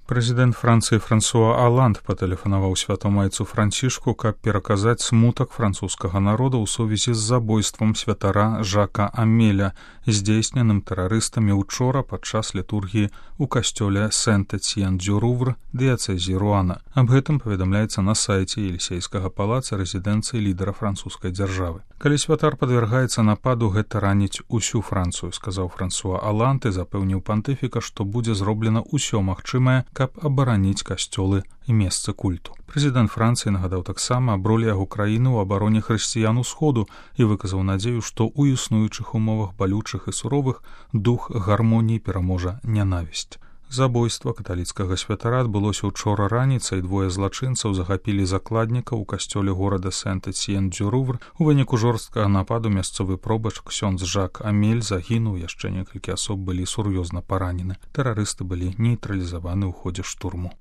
Прэзідэнт Францыі Франсуа Аланд патэлефанаваў святамайцу Францішку, каб пераказаць смутак французскага народа ў сувязі з забойствам святара Жака Амеля, здзейсненым тэрарыстамі ўчора падчас літургіі ў касцёле Сент-Эцьен-дю-Рувр дыяцэзіі Руана. Аб гэтым паведамляецца на сайце Елісейскага палаца рэзідэнцыі лідара французскай дзяржавы. Калі святар падвяргаецца нападу, гэта раніць усю Францыю, сказаў Франсуа Аланд і запэўніў пантыфіка, што будзе зроблена ўсё магчымае, каб абараніць касцёлы і месцы культу. Прэзідэнт Францыі нагадаў таксама аб ролі яго краіны ў абароне хрысціян усходу і выказаў надзею, што ў існуючых умовах балючых і суровых дух гармоніі пераможа нянавісць. Забойства каталіцкага святара адбылося учора раніцай. Двое злачынцаў захапілі закладніка ў касцёле горада Сент-Эцьен-дю-Рувр. У выніку жорсткага нападу мясцовы пробач ксёндз Жак Амель загінуў, яшчэ некалькі асоб былі сур'ёзна паранены. Тэрарысты былі нейтралізаваны ў ходзе штурму.